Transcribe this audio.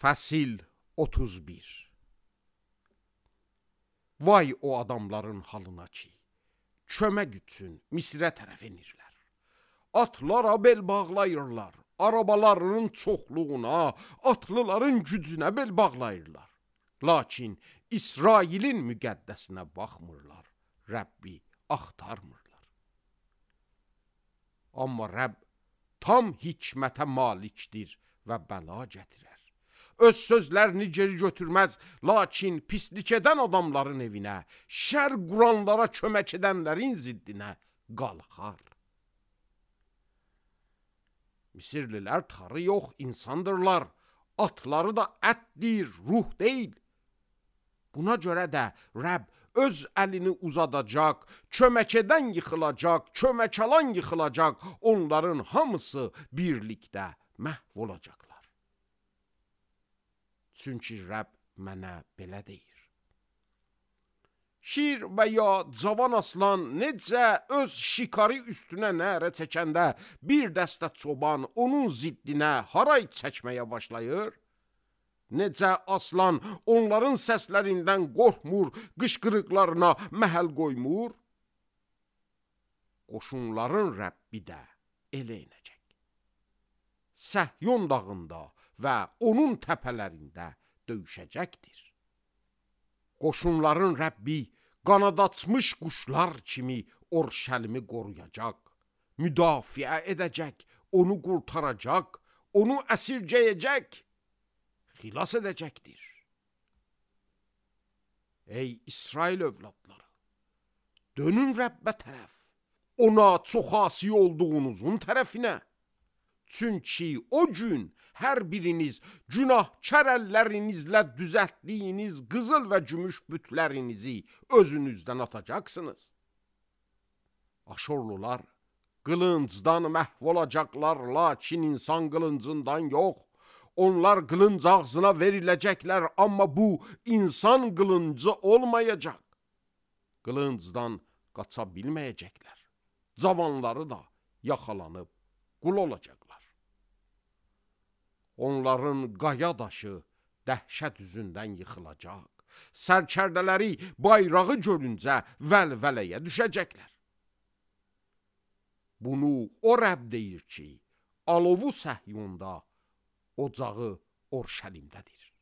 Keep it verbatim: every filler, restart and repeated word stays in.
Fəsil otuz bir. Vay o adamların halına ki, kömək üçün Misrə tərəf enirlər. Atlara bel bağlayırlar, arabalarının çoxluğuna, atlıların gücünə bel bağlayırlar. Lakin İsrailin müqəddəsinə baxmırlar, Rəbbi axtarmırlar. Amma Rəbb tam hikmətə malikdir və bəla gətirər. Öz sözlərini geri götürməz, lakin pislik edən adamların evinə, şər quranlara kömək edənlərin ziddinə qalxar. Misirlilər tarı yox insandırlar, atları da ətdir, ruh deyil. Buna görə də Rəbb öz əlini uzadacaq, kömək edən yıxılacaq, kömək alan yıxılacaq, onların hamısı birlikdə məhv olacaqlar. Çünki Rəbb mənə belə deyir. Şir və ya cavan aslan necə öz şikarı üstünə nərə çəkəndə bir dəstə çoban onun ziddinə haray çəkməyə başlayır, necə aslan onların səslərindən qorxmur, qışqırıqlarına məhəl qoymur, qoşunların Rəbbi də elə inəcək. Səhyon dağında və onun təpələrində döyüşəcəkdir. Qoşunların Rəbbi qanad açmış quşlar kimi Orşəlimi qoruyacaq, müdafiə edəcək, onu qurtaracaq, onu əsirgəyəcək, xilas edəcəkdir. Ey İsrail övladları, dönün Rəbbə tərəf, ona çox asi olduğunuzun tərəfinə. Çünki o gün hər biriniz günahkar əllərinizlə düzəltdiyiniz qızıl və gümüş bütlərinizi özünüzdən atacaqsınız. Aşorlular qılıncdan məhv olacaqlar, lakin insan qılıncından yox. Onlar qılınc ağzına veriləcəklər, amma bu insan qılıncı olmayacaq. Qılıncdan qaça bilməyəcəklər. Cavanları da yaxalanıb qul olacaqlar. Onların qaya daşı dəhşət üzündən yıxılacaq. Sərkərdələri bayrağı görüncə vəlvələyə düşəcəklər. Bunu o Rəbb deyir ki, alovu Səhyonda, ocağı Orşəlimdədir.